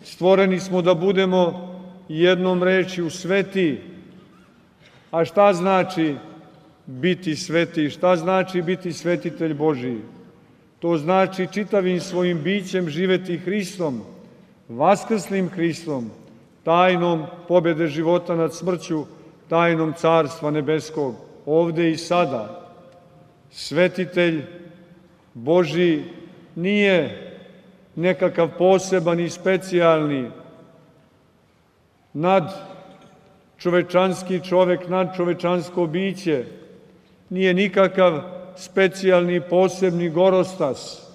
Stvoreni smo da budemo jednom rečju sveti. A šta znači biti sveti? Šta znači biti svetitelj Božiji? To znači čitavim svojim bićem živeti Hristom, vaskrslim Hristom, tajnom pobjede života nad smrću, tajnom Carstva nebeskog, ovde i sada. Svetitelj Božiji nije nekakav poseban i specijalni nadčovečanski čovek, nadčovečansko biće, nije nikakav specijalni posebni gorostas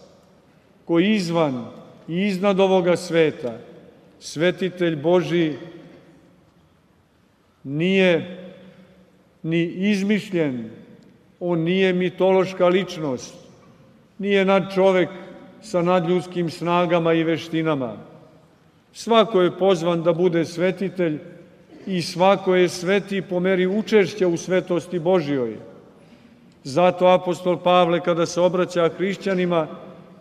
koji izvan i iznad ovoga sveta. Svetitelj Božiji nije ni izmišljen, on nije mitološka ličnost, nije nadčovek sa nadljudskim snagama i veštinama. Svako je pozvan da bude svetitelj i svako je sveti po meri učešća u svetosti Božjoj. Zato apostol Pavle, kada se obraća hrišćanima,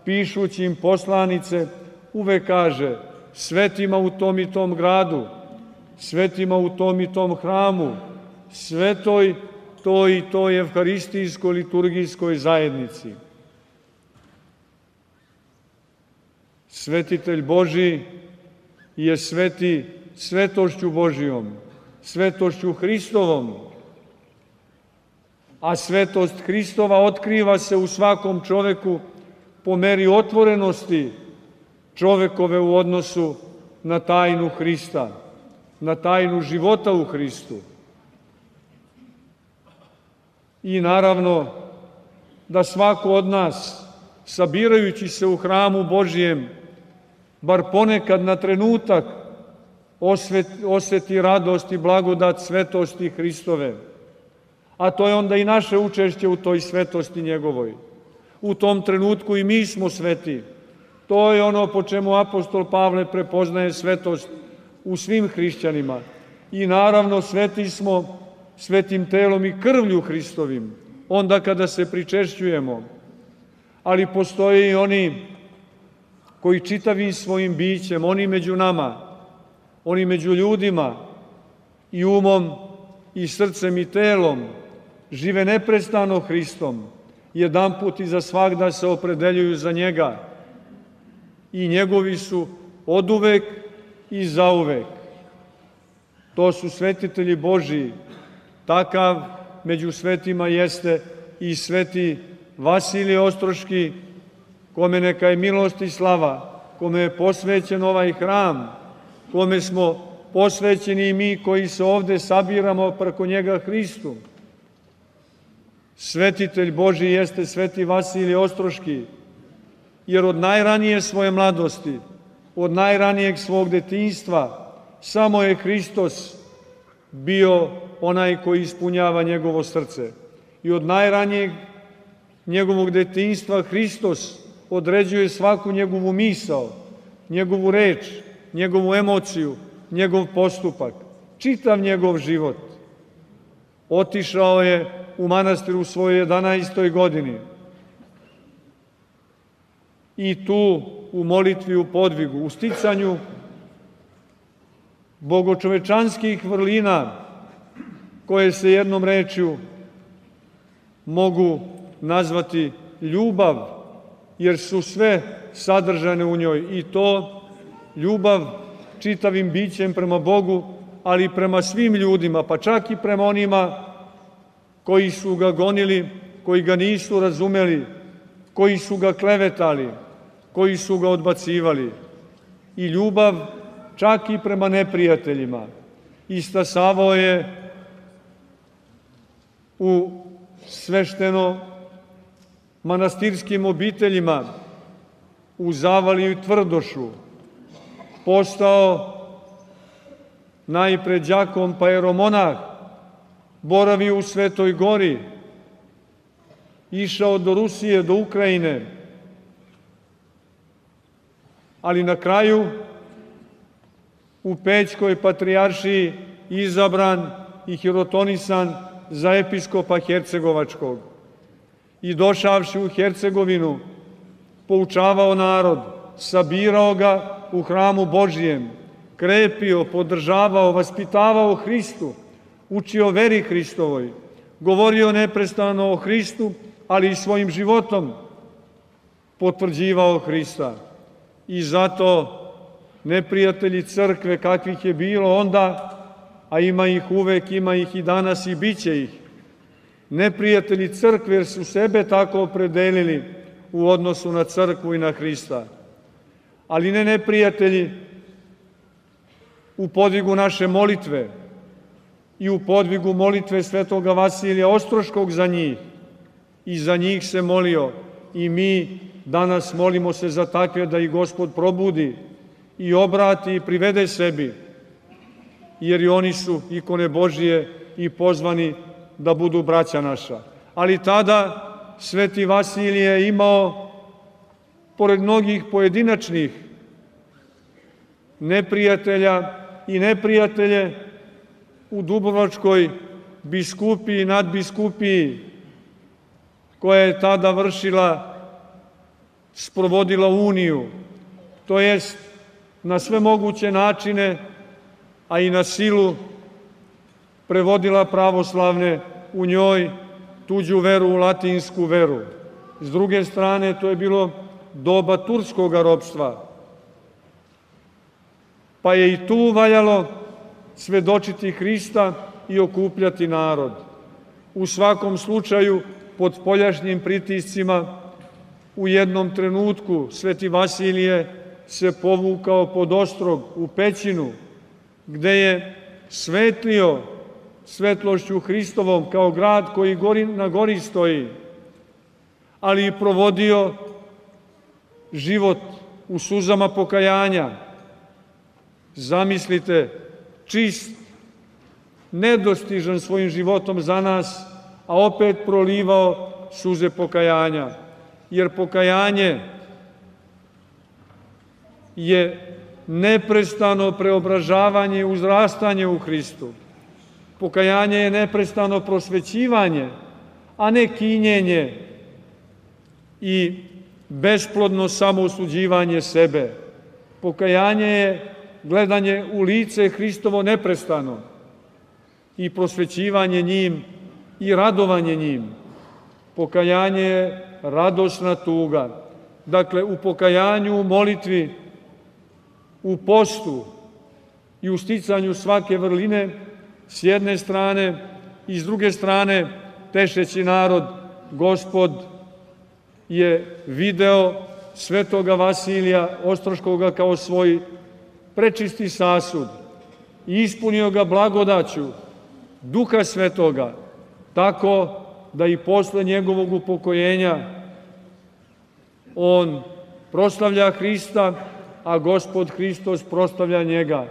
pišući im poslanice, uvek kaže: svetima u tom i tom gradu, svetima u tom i tom hramu, svetoj toj i toj evharistijskoj liturgijskoj zajednici. Svetitelj Božiji je sveti svetošću Božijom, svetošću Hristovom, a svetost Hristova otkriva se u svakom čoveku po meri otvorenosti čovekove u odnosu na tajnu Hrista, na tajnu života u Hristu. I naravno da svako od nas, sabirajući se u hramu Božijem, bar ponekad na trenutak oseti radost i blagodat svetosti Hristove. A to je onda i naše učešće u toj svetosti njegovoj. U tom trenutku i mi smo sveti. To je ono po čemu apostol Pavle prepoznaje svetost u svim hrišćanima. I naravno sveti smo svetim telom i krvlju Hristovim, onda kada se pričešćujemo. Ali postoje i oni koji čitavim svojim bićem, oni među nama, oni među ljudima, i umom, i srcem, i telom, žive neprestano Hristom, jedanput i za svagda se opredeljuju za njega. I njegovi su oduvek i zauvek. To su svetitelji Božiji. Takav među svetima jeste i sveti Vasilije Ostroški, kome neka je milost i slava, kome je posvećen ovaj hram, kome smo posvećeni i mi koji se ovde sabiramo preko njega Hristu. Svetitelj Božiji jeste sveti Vasilije Ostroški, jer od najranije svoje mladosti, od najranijeg svog detinjstva, samo je Hristos bio onaj koji ispunjava njegovo srce. I od najranijeg njegovog detinjstva Hristos određuje svaku njegovu misao, njegovu reč, njegovu emociju, njegov postupak, čitav njegov život. Otišao je u manastir u svojoj 11. godini i tu u molitvi, u podvigu, u sticanju bogočovečanskih vrlina koje se jednom rečju mogu nazvati ljubav, jer su sve sadržane u njoj, i to ljubav čitavim bićem prema Bogu, ali i prema svim ljudima, pa čak i prema onima koji su ga gonili, koji ga nisu razumeli, koji su ga klevetali, koji su ga odbacivali. I ljubav čak i prema neprijateljima. Istasavao je u svešteno manastirskim obiteljima u Zavaliju i Tvrdošu. Postao najpre đakon pa jeromonah, boravio u Svetoj Gori, išao do Rusije, do Ukrajine, ali na kraju u Pećkoj patrijaršiji izabran i hirotonisan za episkopa Hercegovačkog. I došavši u Hercegovinu, poučavao narod, sabirao ga u hramu Božijem, krepio, podržavao, vaspitavao Hristu, učio veri Hristovoj, govorio neprestano o Hristu, ali i svojim životom potvrđivao Hrista. I zato neprijatelji crkve, kakvih je bilo onda, a ima ih uvek, ima ih i danas i bit će ih, neprijatelji crkve jer su sebe tako opredelili u odnosu na crkvu i na Hrista. Ali ne neprijatelji u podvigu naše molitve i u podvigu molitve svetoga Vasilija Ostroškog za njih. I za njih se molio i mi danas molimo se za takve da ih Gospod probudi i obrati i privede sebi, jer i oni su ikone Božije i pozvani da budu braća naša. Ali tada sveti Vasilije je imao, pored mnogih pojedinačnih neprijatelja i neprijatelje, u Dubrovačkoj biskupiji i nadbiskupiji, koja je tada sprovodila uniju, to jest na sve moguće načine, a i na silu prevodila pravoslavne u njoj tuđu veru u latinsku veru. S druge strane, to je bilo doba turskog ropstva, pa je i tu valjalo svedočiti Hrista i okupljati narod. U svakom slučaju, pod spoljašnjim pritiscima, u jednom trenutku sveti Vasilije se povukao pod Ostrog u pećinu, gde je svetlio svetlošću Hristovom kao grad koji na gori stoji, ali i provodio život u suzama pokajanja. Zamislite, čist, nedostižan svojim životom za nas, a opet prolivao suze pokajanja. Jer pokajanje je neprestano preobražavanje i uzrastanje u Hristu. Pokajanje je neprestano prosvećivanje, a ne kinjenje i besplodno samoosuđivanje sebe. Pokajanje je gledanje u lice Hristovo neprestano i prosvećivanje njim i radovanje njim. Pokajanje je radosna tuga. Dakle, u pokajanju, u molitvi, u postu i u sticanju svake vrline s jedne strane i s druge strane tešeći narod, Gospod je video svetoga Vasilija Ostroškoga kao svoj prečisti sasud i ispunio ga blagodaću Duha Svetoga, tako da i posle njegovog upokojenja on proslavlja Hrista, a Gospod Hristos proslavlja njega.